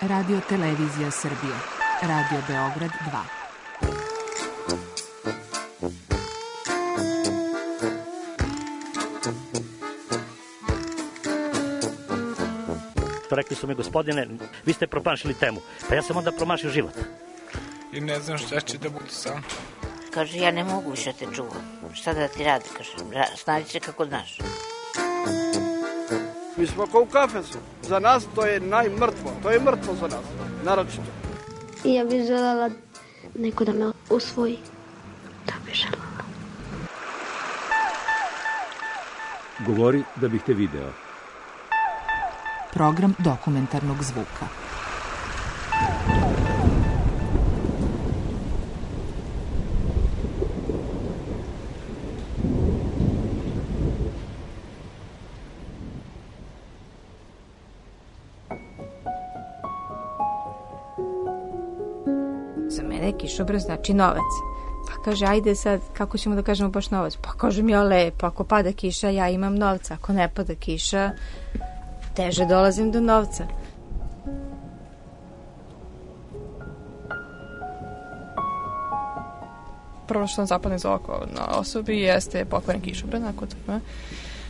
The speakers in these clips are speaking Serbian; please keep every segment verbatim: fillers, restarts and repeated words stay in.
Radio Televizija Srbije. Radio Beograd dva. Rekli su mi, gospodine, vi ste promašili temu. Pa ja sam onda promašio život. I ne znam šta će da bude sam. Kaže, ja ne mogu više te čuvam. Šta da ti radi, kaže, snađi se kako znaš. Mi smo kao u kafesu. Za nas to je najmrtvo. To je mrtvo za nas, naročito. I ja bih želela neko da me usvoji. Da bih želela. Govori da bih te video. Program dokumentarnog zvuka. Za mene kišobran znači novac. Pa kaže, ajde sad, kako ćemo da kažemo baš novac? Pa kažem ja lepo, ako pada kiša, ja imam novca. Ako ne pada kiša, teže dolazim do novca. Prvo što nam zapadne iz oko na osobi jeste pokvaren kišobran, ako to ima.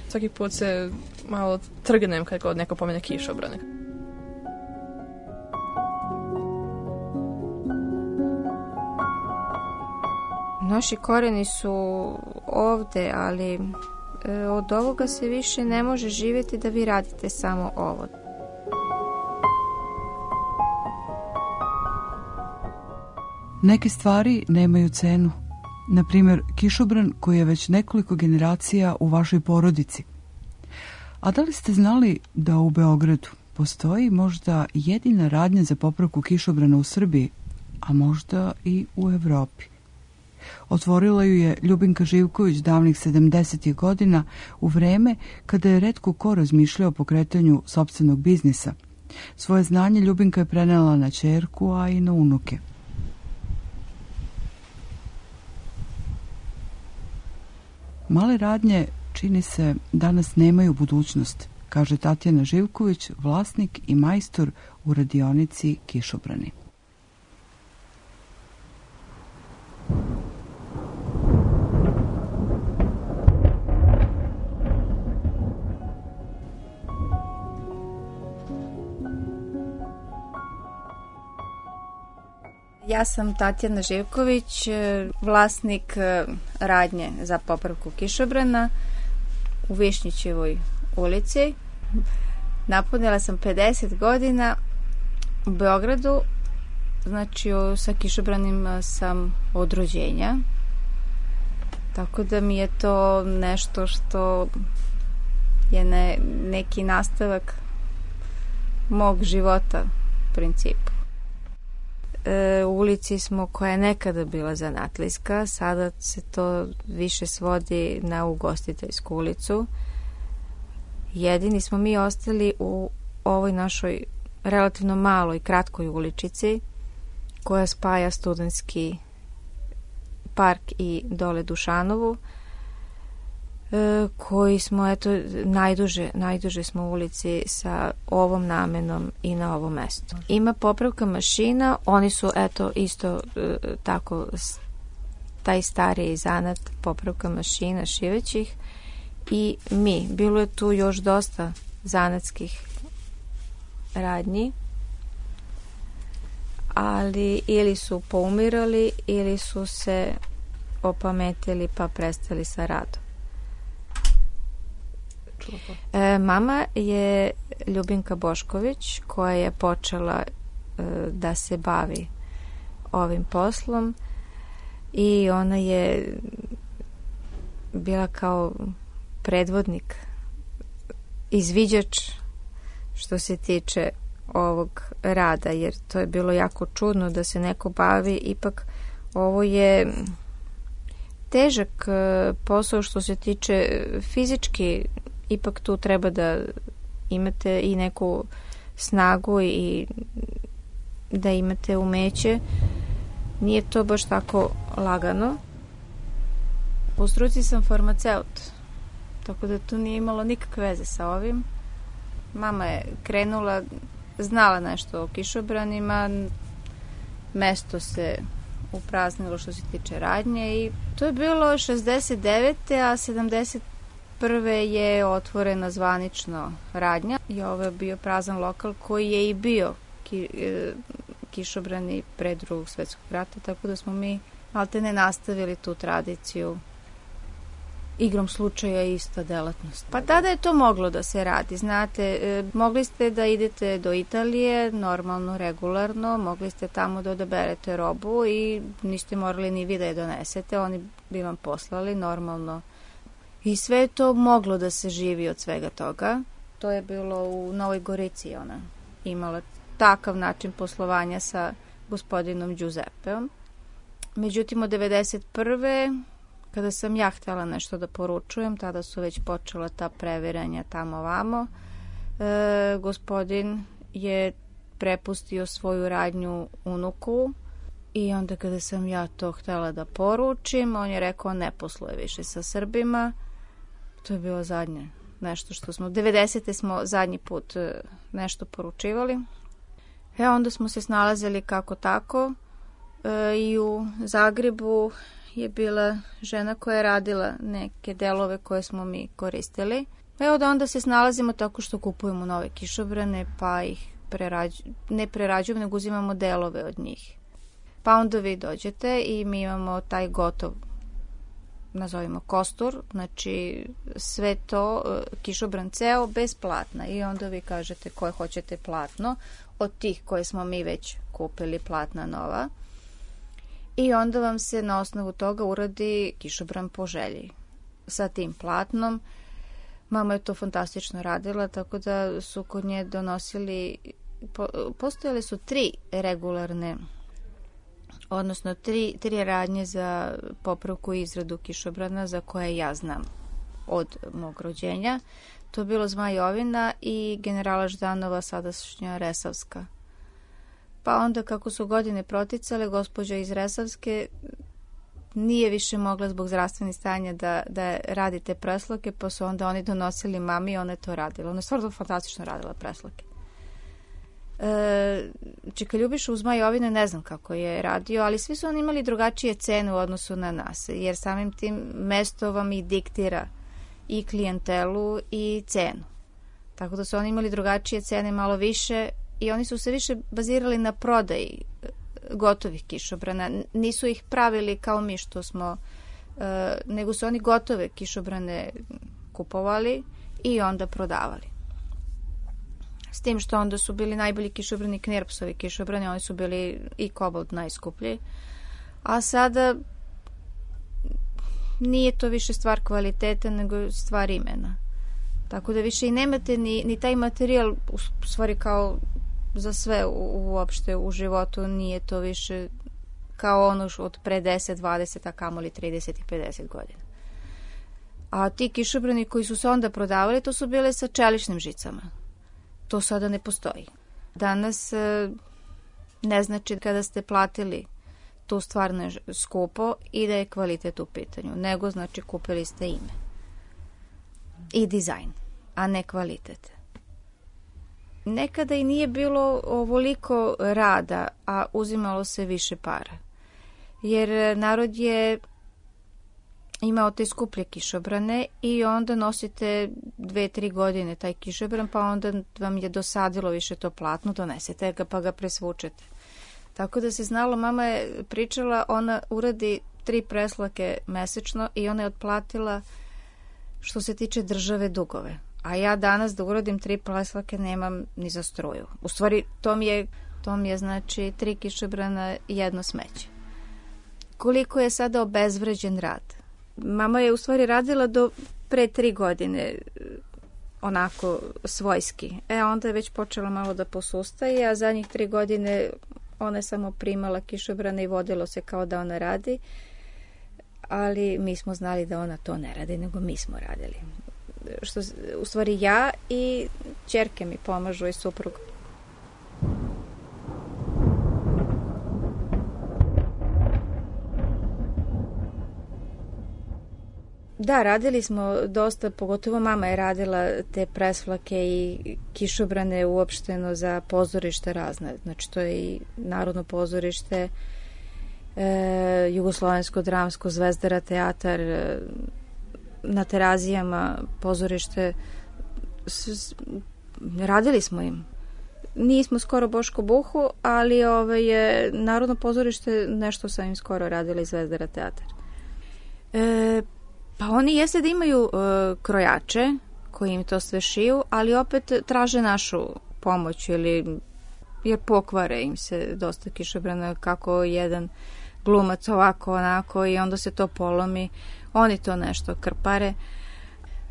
Svaki put se malo trgnem kad god neko pomene kišobran. Naši koreni su ovde, ali e, od ovoga se više ne može živjeti da vi radite samo ovo. Neke stvari nemaju cenu. Na primjer, kišobran koji je već nekoliko generacija u vašoj porodici. A da li ste znali da u Beogradu postoji možda jedina radnja za popravku kišobrana u Srbiji, a možda i u Evropi? Otvorila ju je Ljubinka Živković davnih sedamdesetih godina u vreme kada je retko ko razmišljao o pokretanju sopstvenog biznisa. Svoje znanje Ljubinka je prenela na ćerku, a i na unuke. Male radnje, čini se, danas nemaju budućnost, kaže Tatjana Živković, vlasnik i majstor u radionici Kišobrani. Ja sam Tatjana Živković, vlasnik radnje za popravku kišobrana u Višnjićevoj ulici. Napunila sam pedeset godina u Beogradu, znači sa kišobranim sam od rođenja. Tako da mi je to nešto što je ne, neki nastavak mog života u principu. U ulici smo koja je nekada bila zanatlijska, sada se to više svodi na ugostiteljsku ulicu. Jedini smo mi ostali u ovoj našoj relativno maloj, kratkoj uličici koja spaja Studentski park i dole Dušanovu, koji smo, eto, najduže, najduže smo u ulici sa ovom namenom i na ovom mestu. Ima popravka mašina, oni su, eto, isto tako, taj stariji zanat popravka mašina šivećih i mi. Bilo je tu još dosta zanatskih radnji, ali ili su poumirali ili su se opametili pa prestali sa radom. E, mama je Ljubinka Bošković koja je počela e, da se bavi ovim poslom i ona je bila kao predvodnik, izviđač što se tiče ovog rada, jer to je bilo jako čudno da se neko bavi, ipak ovo je težak posao što se tiče fizički, ipak tu treba da imate i neku snagu i da imate umeće. Nije to baš tako lagano. Po struci sam farmaceut, tako da to nije imalo nikakve veze sa ovim. Mama je krenula znala nešto o kišobranima, mesto se upraznilo što se tiče radnje i to je bilo šezdeset devete. a sedamdeset prve je otvorena zvanično radnja i ovo je bio prazan lokal koji je i bio ki, e, kišobrani pre drugog svetskog rata, tako da smo mi maltene nastavili tu tradiciju. Igrom slučaja ista delatnost. Pa tada je to moglo da se radi, znate, e, mogli ste da idete do Italije, normalno, regularno, mogli ste tamo da odaberete robu i niste morali ni vi da je donesete, oni bi vam poslali normalno. I sve je to moglo da se živi od svega toga. To je bilo u Novoj Gorici, ona imala takav način poslovanja sa gospodinom Giuseppeom. Međutim, od devedeset prve kada sam ja htjela nešto da poručujem, tada su već počela ta previranja tamo vamo. E, gospodin je prepustio svoju radnju unuku i onda kada sam ja to htjela da poručim, on je rekao ne posluje više sa Srbima. To je bilo zadnje nešto što smo, devedesete smo zadnji put nešto poručivali. E onda smo se snalazili kako tako e, i u Zagrebu je bila žena koja je radila neke delove koje smo mi koristili. Evo da onda se snalazimo tako što kupujemo nove kišobrane, pa ih prerađu, ne prerađujemo, nego uzimamo delove od njih. Pa onda vi dođete i mi imamo taj gotov, nazovimo kostur, znači sve to, kišobran ceo, bez platna. I onda vi kažete koje hoćete platno, od tih koje smo mi već kupili, platna nova. I onda vam se na osnovu toga uradi kišobran po želji sa tim platnom. Mama je to fantastično radila, tako da su kod nje donosili, po, postojale su tri regularne, odnosno tri, tri radnje za popravku i izradu kišobrana za koje ja znam od mog rođenja. To je bilo Zmajovina i Generala Ždanova, sadašnja Resavska. Pa onda kako su godine proticale, gospođa iz Resavske nije više mogla zbog zdravstvenih stanja da, da radi te presloke, pa su onda oni donosili mami i ona je to radila. Ona je stvarno fantastično radila presloke. E, Čeka Ljubiša uz Zmajovine ne znam kako je radio, ali svi su oni imali drugačije cene u odnosu na nas, jer samim tim mesto vam i diktira i klijentelu i cenu. Tako da su oni imali drugačije cene, malo više, i oni su se više bazirali na prodaji gotovih kišobrana. Nisu ih pravili kao mi što smo, e, nego su oni gotove kišobrane kupovali i onda prodavali. S tim što onda su bili najbolji kišobrani Knirpsovi kišobrani, oni su bili i kobold najskuplji. A sada nije to više stvar kvaliteta, nego stvar imena. Tako da više i nemate ni, ni taj materijal, u stvari kao za sve u, uopšte u životu, nije to više kao ono od pre deset, dvadeset, a kamoli trideset i pedeset godina. A ti kišobrani koji su se onda prodavali, to su bile sa čeličnim žicama. To sada ne postoji. Danas ne znači kada ste platili tu stvarno skupo i da je kvalitet u pitanju, nego znači kupili ste ime i dizajn, a ne kvalitet. Nekada i nije bilo ovoliko rada, a uzimalo se više para. Jer narod je imao te skuplje kišobrane i onda nosite dve, tri godine taj kišobran, pa onda vam je dosadilo više to platno, donesete ga pa ga presvučete. Tako da se znalo, mama je pričala, ona uradi tri preslake mesečno i ona je otplatila što se tiče države dugove. A ja danas da uradim tri preslake nemam ni za struju. U stvari, to mi je, to mi je znači tri kišobrana i jedno smeće. Koliko je sada obezvređen rad? Mama je u stvari radila do pre tri godine onako svojski. E, onda je već počela malo da posustaje, a zadnjih tri godine ona je samo primala kišobrane i vodilo se kao da ona radi, ali mi smo znali da ona to ne radi, nego mi smo radili. Što, u stvari ja i ćerke mi pomažu i suprug. Da, radili smo dosta, pogotovo mama je radila te presvlake i kišobrane uopšteno za pozorište razne. Znači, to je i Narodno pozorište, e, Jugoslovensko dramsko, Zvezdara teatar, e, na Terazijama pozorište. S, s, radili smo im. Nismo skoro Boško Buhu, ali ove je Narodno pozorište, nešto sam im skoro radila i Zvezdara teatar. E, pa oni jeste da imaju e, krojače koji im to sve šiju, ali opet traže našu pomoć ili jer pokvare im se dosta kišobrana, kako jedan glumac ovako onako i onda se to polomi, oni to nešto krpare.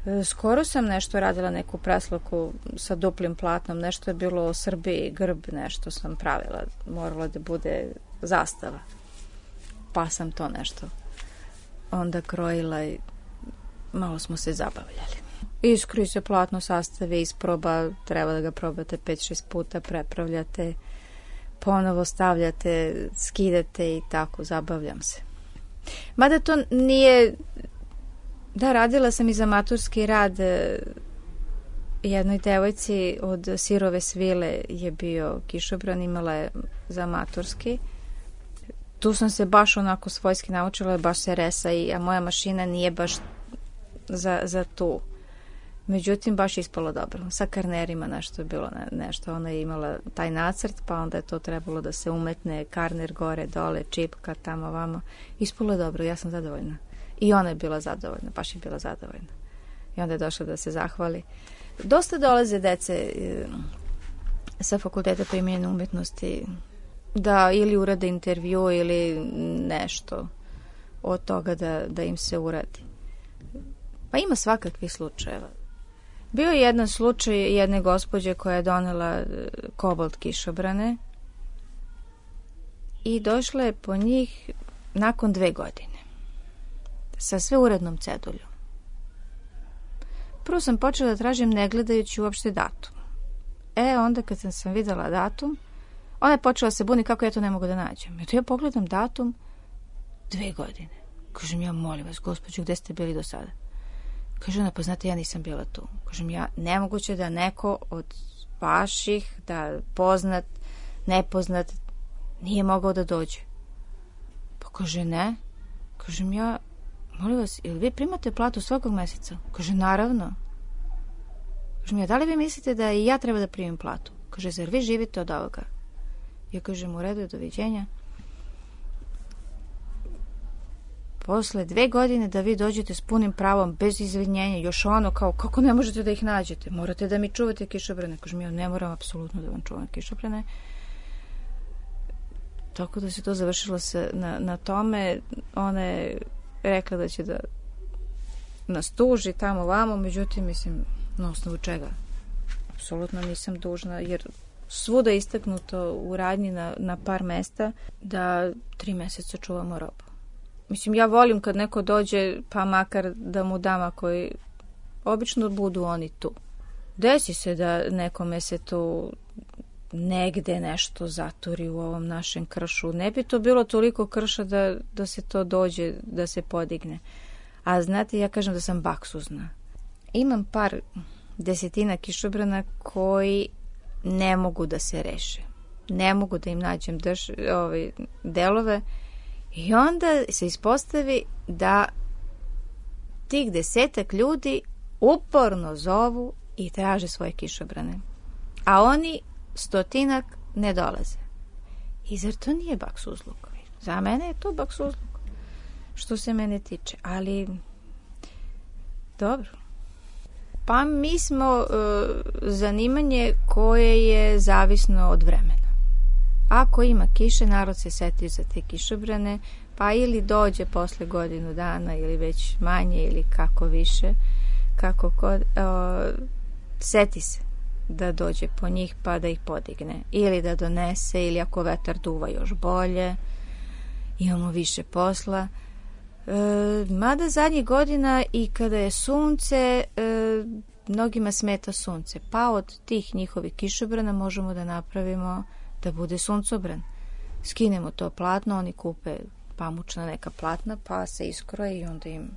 E, skoro sam nešto radila, neku preslaku sa duplim platnom, nešto je bilo o Srbiji, grb, nešto sam pravila, morala da bude zastava, pa sam to nešto onda krojila i malo smo se zabavljali. Iskroji se platno, sastave, isproba, treba da ga probate pet šest puta, prepravljate, ponovo stavljate, skidate i tako, zabavljam se. Mada to nije, da, radila sam i za maturski rad, jednoj devojci od Sirove svile je bio kišobran, imala je za maturski. Tu sam se baš onako svojski naučila, baš se resa, i, a moja mašina nije baš za, za tu. Međutim, baš ispalo dobro. Sa karnerima nešto je bilo, nešto. Ona je imala taj nacrt, pa onda je to trebalo da se umetne, karner gore, dole, čipka, tamo, vamo. Ispalo je dobro, ja sam zadovoljna. I ona je bila zadovoljna, baš je bila zadovoljna. I onda je došla da se zahvali. Dosta dolaze dece sa fakulteta primenjene umetnosti da ili urade intervju ili nešto od toga da, da im se uradi. Pa ima svakakvih slučajeva. Bio je jedan slučaj jedne gospođe koja je donela kobolt kišobrane i došla je po njih nakon dve godine sa sve urednom ceduljom. Prvo sam počela da tražim ne gledajući uopšte datum. E, onda kad sam, sam videla datum, ona je počela se buni kako ja to ne mogu da nađem. Eto ja pogledam datum, dve godine. Kažem ja, molim vas, gospođo, gde ste bili do sada? Kaže ona, pa znate, ja nisam bila tu. Kažem ja, nemoguće da neko od vaših, da poznat, nepoznat, nije mogao da dođe. Pa kaže ne. Kažem ja, molim vas, ili vi primate platu svakog meseca? Kaže, naravno. Kažem ja, da li vi mislite da i ja treba da primim platu? Kaže, zar vi živite od ovoga? Ja kažem, u redu, doviđenja. Posle dve godine da vi dođete s punim pravom, bez izvinjenja, još ono kao, kako ne možete da ih nađete? Morate da mi čuvate kišobrane. Kažem, ja ne moram apsolutno da vam čuvam kišobrane. Tako da se to završilo se na, na tome. Ona je rekla da će da nas tuži tamo vamo, međutim, mislim, na osnovu čega? Apsolutno nisam dužna, jer svuda je istaknuto u radnji na, na par mesta da tri meseca čuvamo robu. Mislim, ja volim kad neko dođe, pa makar da mu dam, ako je, obično budu oni tu. Desi se da nekome se tu negde nešto zaturi u ovom našem kršu. Ne bi to bilo toliko krša da, da se to dođe, da se podigne. A znate, ja kažem da sam baksuzna. Imam par desetina kišobrana koji ne mogu da se reše. Ne mogu da im nađem drž, ove, delove. I onda se ispostavi da tih desetak ljudi uporno zovu i traže svoje kišobrane. A oni stotinak ne dolaze. I zar to nije baksuzluk? Za mene je to baksuzluk, što se mene tiče. Ali, dobro. Pa mi smo e, zanimanje koje je zavisno od vremena. Ako ima kiše, narod se seti za te kišobrane, pa ili dođe posle godinu dana ili već manje ili kako više, kako kod, o, seti se da dođe po njih pa da ih podigne ili da donese, ili ako vetar duva još bolje, imamo više posla. E, mada zadnjih godina i kada je sunce, e, mnogima smeta sunce, pa od tih njihovih kišobrana možemo da napravimo da bude suncobran. Skinemo to platno, oni kupe pamučna neka platna, pa se iskroje i onda im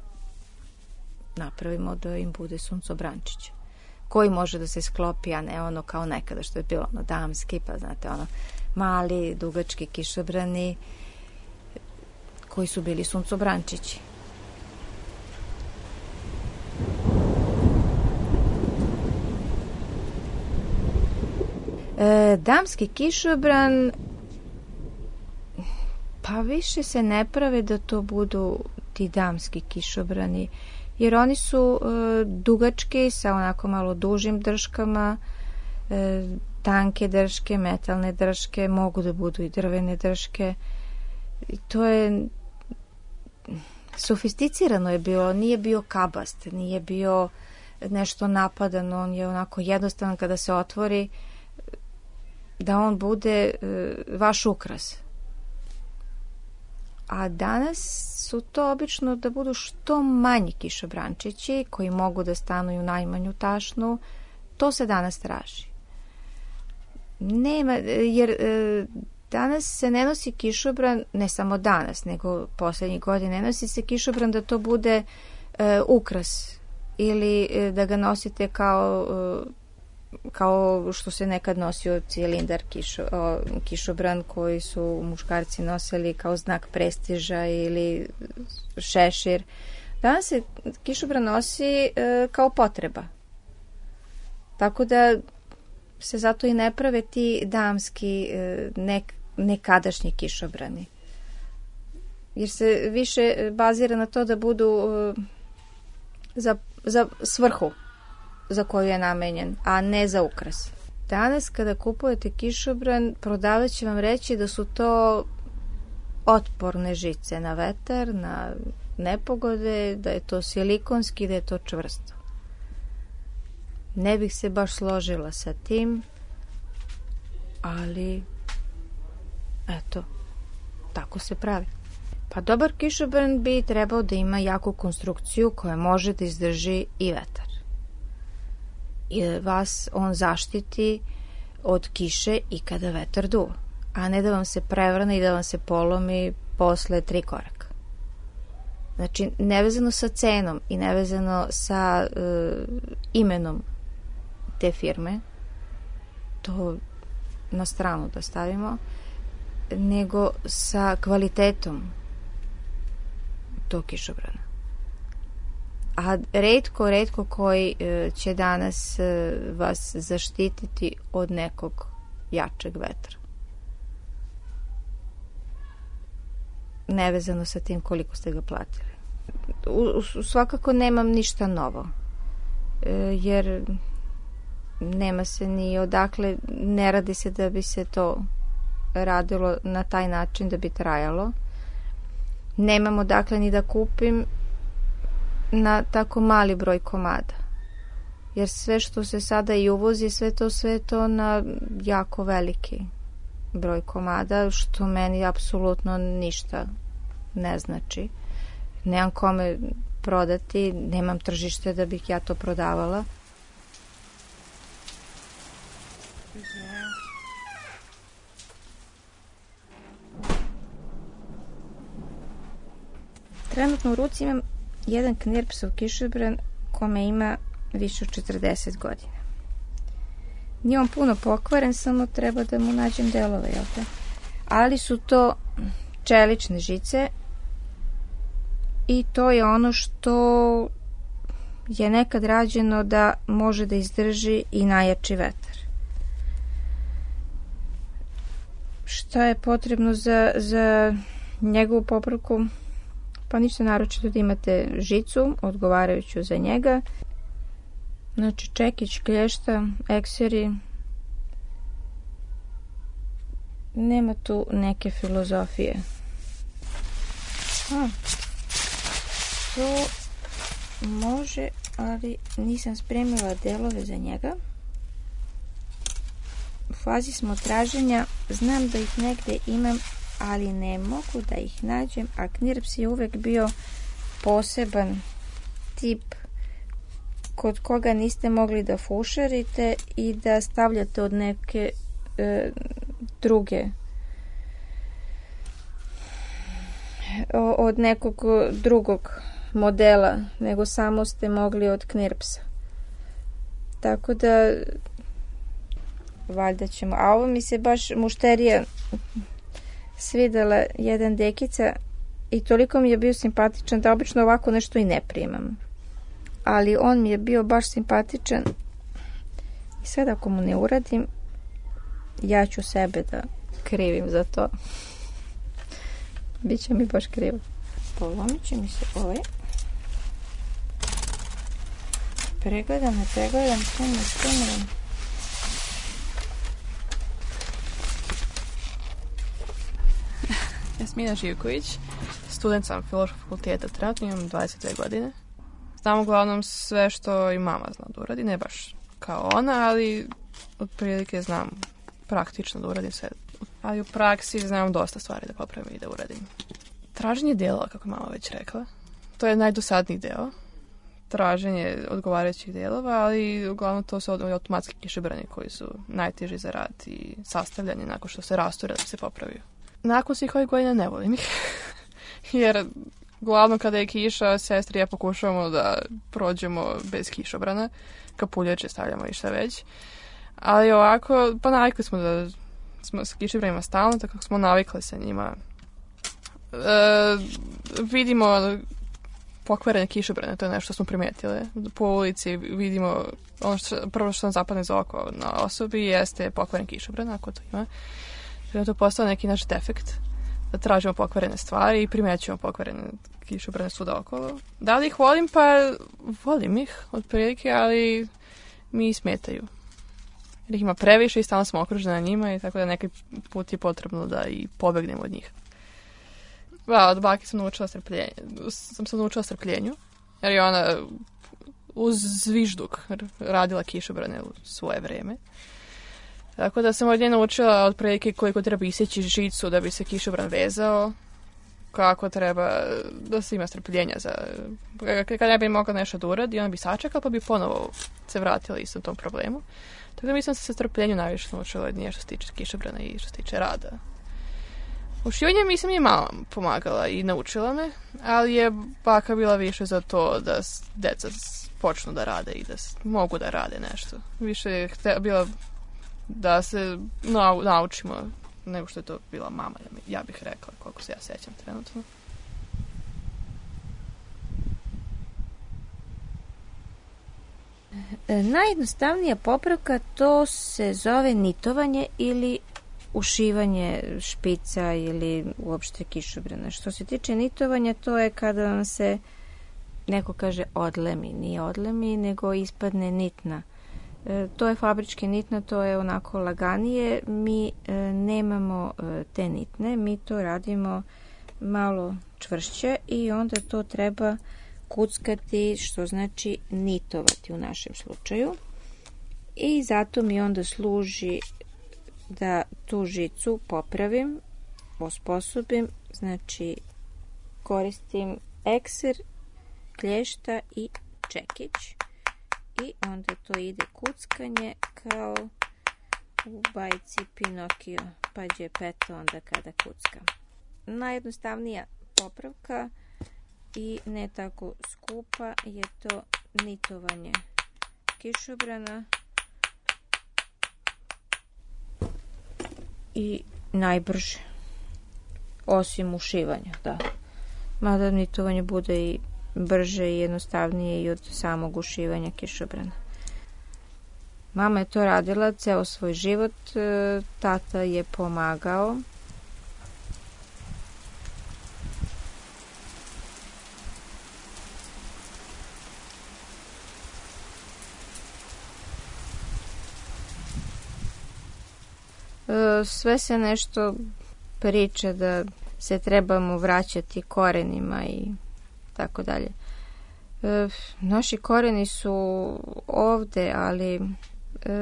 napravimo da im bude suncobrančić koji može da se sklopi, a ne ono kao nekada što je bilo ono damski, pa znate ono mali, dugački kišobrani koji su bili suncobrančići. E, damski kišobran pa više se ne prave da to budu ti damski kišobrani, jer oni su e, dugački sa onako malo dužim drškama, e, tanke drške, metalne drške, mogu da budu i drvene drške. I to je sofisticirano je bilo, nije bio kabast, nije bio nešto napadan, on je onako jednostavan kada se otvori da on bude e, vaš ukras. A danas su to obično da budu što manji kišobrančići koji mogu da stanuju najmanju tašnu. To se danas traži. Nema, jer e, danas se ne nosi kišobran, ne samo danas, nego poslednjih godina, ne nosi se kišobran da to bude e, ukras ili e, da ga nosite kao e, kao što se nekad nosio cilindar kišo, o, kišobran koji su muškarci nosili kao znak prestiža ili šešir. Danas se kišobran nosi e, kao potreba. Tako da se zato i ne prave ti damski e, nek, nekadašnji kišobrani. Jer se više bazira na to da budu e, za, za svrhu za koju je namenjen, a ne za ukras. Danas kada kupujete kišobran, prodavac će vam reći da su to otporne žice na vetar, na nepogode, da je to silikonski, da je to čvrsto. Ne bih se baš složila sa tim, ali eto, tako se pravi. Pa dobar kišobran bi trebao da ima jaku konstrukciju koja može da izdrži i vetar. I da vas on zaštiti od kiše i kada vetar duva, a ne da vam se prevrne i da vam se polomi posle tri koraka. Znači, nevezano sa cenom i nevezano sa e, imenom te firme, to na stranu da stavimo, nego sa kvalitetom tog kišobrana. A retko, retko koji će danas vas zaštititi od nekog jačeg vetra. Nevezano sa tim koliko ste ga platili. U, u, svakako nemam ništa novo, jer nema se ni odakle, ne radi se da bi se to radilo na taj način da bi trajalo. Nemam odakle ni da kupim na tako mali broj komada. Jer sve što se sada i uvozi, sve to, sve to na jako veliki broj komada, što meni apsolutno ništa ne znači. Nemam kome prodati, nemam tržište da bih ja to prodavala. Trenutno u ruci imam jedan Knirpsov kišobran kome ima više od četrdeset godina. Nije on puno pokvaren, samo treba da mu nađem delove, jel te? Ali su to čelične žice i to je ono što je nekad rađeno da može da izdrži i najjači vetar. Šta je potrebno za, za njegovu popravku? Pa ništa naročito da imate žicu odgovarajuću za njega. Znači čekić, klješta, ekseri. Nema tu neke filozofije. A, to može, ali nisam spremila delove za njega. U fazi smo traženja, znam da ih negde imam, ali ne mogu da ih nađem, a Knirps je uvek bio poseban tip kod koga niste mogli da fušarite i da stavljate od neke e, druge od nekog drugog modela, nego samo ste mogli od knirpsa. Tako da valjda ćemo. A ovo mi se baš mušterija svidela, jedan dekica, i toliko mi je bio simpatičan da obično ovako nešto i ne primam. Ali on mi je bio baš simpatičan i sad ako mu ne uradim, ja ću sebe da krivim za to. Biće mi baš krivo. Polomit će mi se ovaj. Pregledam, ne pregledam, snimam, snimam. Jasmina Živković, student sam Filozofskog fakulteta, trenutno imam dvadeset dve godine. Znam uglavnom sve što i mama zna da uradi, ne baš kao ona, ali otprilike znam praktično da uradim sve. Ali u praksi znam dosta stvari da popravim i da uradim. Traženje delova, kako je mama već rekla, to je najdosadniji deo. Traženje odgovarajućih delova, ali uglavnom to su automatski kišobrani koji su najteži za rad i sastavljanje nakon što se rasture da se popraviju. Nakon svih ovih godina ne volim ih, jer glavno kada je kiša, sestri ja pokušavamo da prođemo bez kišobrana, kapuljače stavljamo i šta već, ali ovako, pa navikli smo da smo sa kišobranima stalno, tako smo navikli sa njima. E, vidimo pokvarene kišobrane, to je nešto što smo primetile. Po ulici vidimo, ono što, prvo što nam zapadne za oko na osobi jeste pokvaren kišobran, ako to ima. Da to postao neki naš defekt, da tražimo pokvarene stvari i primećujemo pokvarene kišobrane svuda okolo. Da li ih volim? Pa volim ih, otprilike, ali mi smetaju. Jer ih ima previše i stalno smo okruženi na njima i tako da neki put je potrebno da i pobegnemo od njih. Da, od baki sam naučila strpljenje. Sam se naučila strpljenju, jer je ona uz zvižduk radila kišobrane u svoje vreme. Tako da sam od nje naučila otprilike koliko treba isjeći žicu da bi se kišobran vezao, kako treba da se ima strpljenja za... Kada ne bi mogla nešto da uradi, ona bi sačekala pa bi ponovo se vratila istom tom problemu. Tako da mislim da sam se strpljenju najviše naučila od nje što se tiče kišobrana i što se tiče rada. U šivanju mislim je mama pomagala i naučila me, ali je baka bila više za to da deca počnu da rade i da mogu da rade nešto. Više je bila da se nau, naučimo nego što je to bila mama, ja bih rekla, koliko se ja sećam trenutno. Najjednostavnija popravka to se zove nitovanje ili ušivanje špica ili uopšte kišobrana. Što se tiče nitovanja, to je kada vam se neko kaže odlemi, nije odlemi, nego ispadne nitna. E, to je fabrički nitna, to je onako laganije. Mi e, nemamo e, te nitne, mi to radimo malo čvršće i onda to treba kuckati, što znači nitovati u našem slučaju. I zato mi onda služi da tu žicu popravim, osposobim, znači koristim ekser, klješta i čekić i onda to ide kuckanje kao u bajci Pinokio, pa Geppetto onda kada kucka. Najjednostavnija popravka i ne tako skupa je to nitovanje kišobrana i najbrže, osim ušivanja, da. Mada nitovanje bude i brže i jednostavnije i od samog ušivanja kišobrana. Mama je to radila ceo svoj život, tata je pomagao. Sve se nešto priča da se trebamo vraćati korenima i tako dalje. Naši koreni su ovde, ali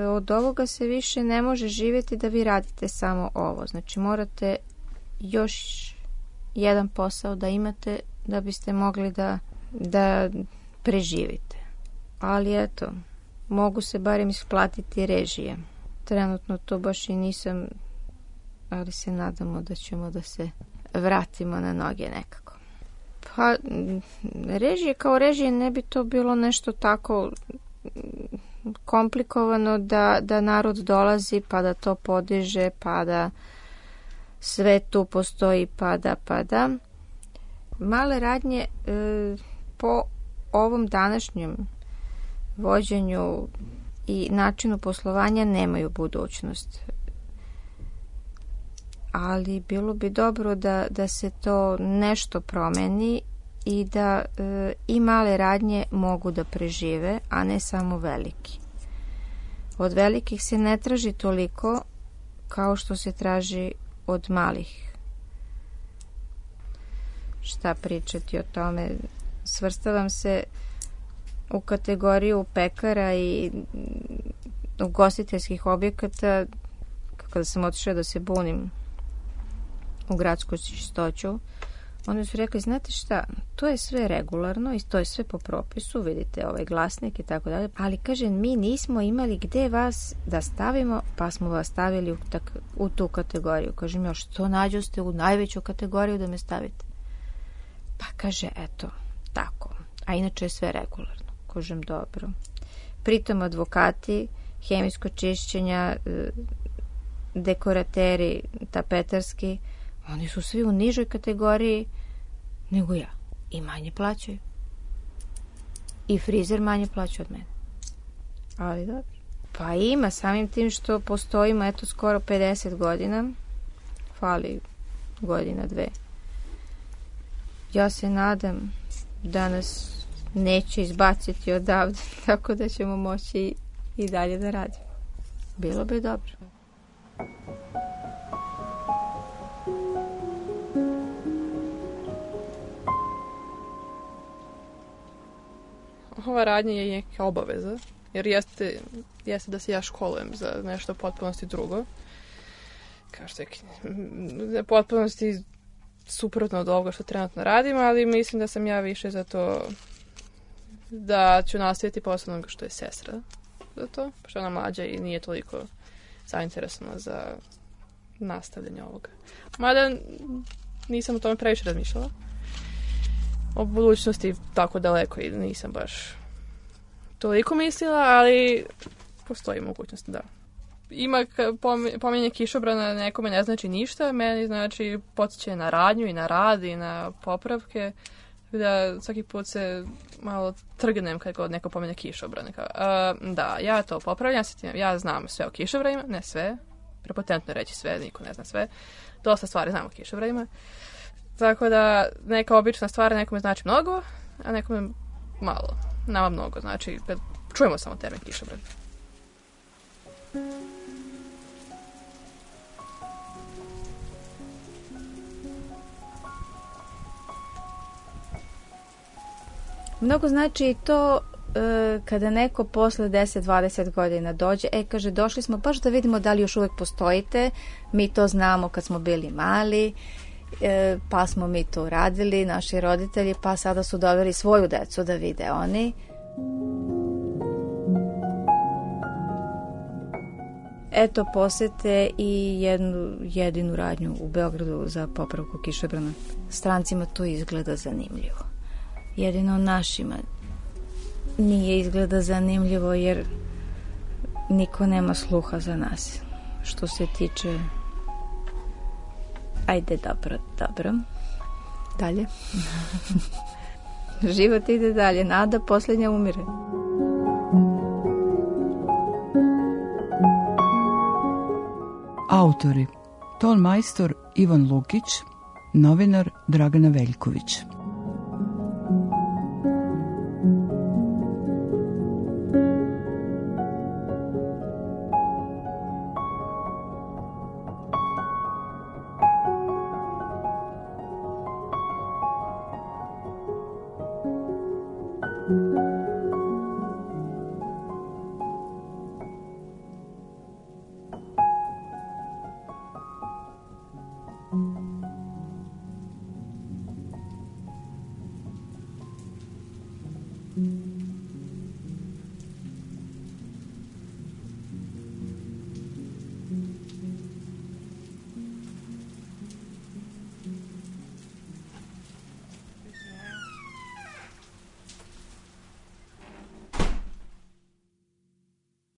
od ovoga se više ne može živjeti da vi radite samo ovo. Znači morate još jedan posao da imate da biste mogli da, da preživite. Ali eto, mogu se barem isplatiti režije. Trenutno to baš i nisam, ali se nadamo da ćemo da se vratimo na noge nekako. Pa, režije kao režije ne bi to bilo nešto tako komplikovano da, da narod dolazi pa da to podiže, pa da sve tu postoji, pa da, pa da. Male radnje e, po ovom današnjem vođenju i načinu poslovanja nemaju budućnost. Ali bilo bi dobro da, da se to nešto promeni i da e, i male radnje mogu da prežive, a ne samo veliki. Od velikih se ne traži toliko kao što se traži od malih. Šta pričati o tome? Svrstavam se u kategoriju pekara i ugostiteljskih objekata. Kada sam otišla da se bunim u gradsku čistoću, oni su rekli, znate šta, to je sve regularno i to je sve po propisu, vidite ovaj glasnik i tako dalje, ali kažem, mi nismo imali gde vas da stavimo, pa smo vas stavili u, tak, u tu kategoriju. Kažem, još što nađu ste u najveću kategoriju da me stavite? Pa kaže, eto, tako, a inače je sve regularno. Kažem, dobro. Pritom advokati, hemijsko čišćenja, dekorateri, tapetarski, oni su svi u nižoj kategoriji nego ja. I manje plaćaju. I frizer manje plaća od mene. Ali dobro. Pa ima, samim tim što postojimo, eto, skoro pedeset godina. Fali godina, dve. Ja se nadam da nas neće izbaciti odavde, tako da ćemo moći i dalje da radimo. Bilo bi dobro. Ova radnja je neka obaveza, jer jeste, jeste da se ja školujem za nešto potpunosti drugo. Kao što je potpunosti suprotno od ovoga što trenutno radim, ali mislim da sam ja više za to da ću nastaviti posle onoga što je sestra za to, što je ona mlađa i nije toliko zainteresovana za nastavljanje ovoga. Mada nisam o tome previše razmišljala. O budućnosti tako daleko i nisam baš toliko mislila, ali postoji mogućnost, da. Ima pominjanje kišobrana, nekome ne znači ništa, meni znači podsjeća na radnju i na rad i na popravke, da svaki put se malo trgnem kad god neko pominje kišobrane. Uh, da, ja to popravljam, ja znam sve o kišobranima, ne sve, prepotentno reći sve, niko ne zna sve, dosta stvari znam o kišobranima. Tako da neka obična stvar nekome znači mnogo, a nekome malo. Nama mnogo, znači čujemo samo termin kišobran. Mnogo znači i to e, kada neko posle deset dvadeset godina dođe, e kaže, došli smo baš da vidimo da li još uvek postojite, mi to znamo kad smo bili mali, e, pa smo mi to radili, naši roditelji, pa sada su doveli svoju decu da vide oni. Eto, posete i jednu jedinu radnju u Beogradu za popravku kišobrana. Strancima to izgleda zanimljivo. Jedino našima nije izgleda zanimljivo jer niko nema sluha za nas. Što se tiče... Ajde, dobro, dobro. Dalje. Život ide dalje. Nada posljednja umire. Autori: ton majstor Ivan Lukić, novinar Dragana Veljković.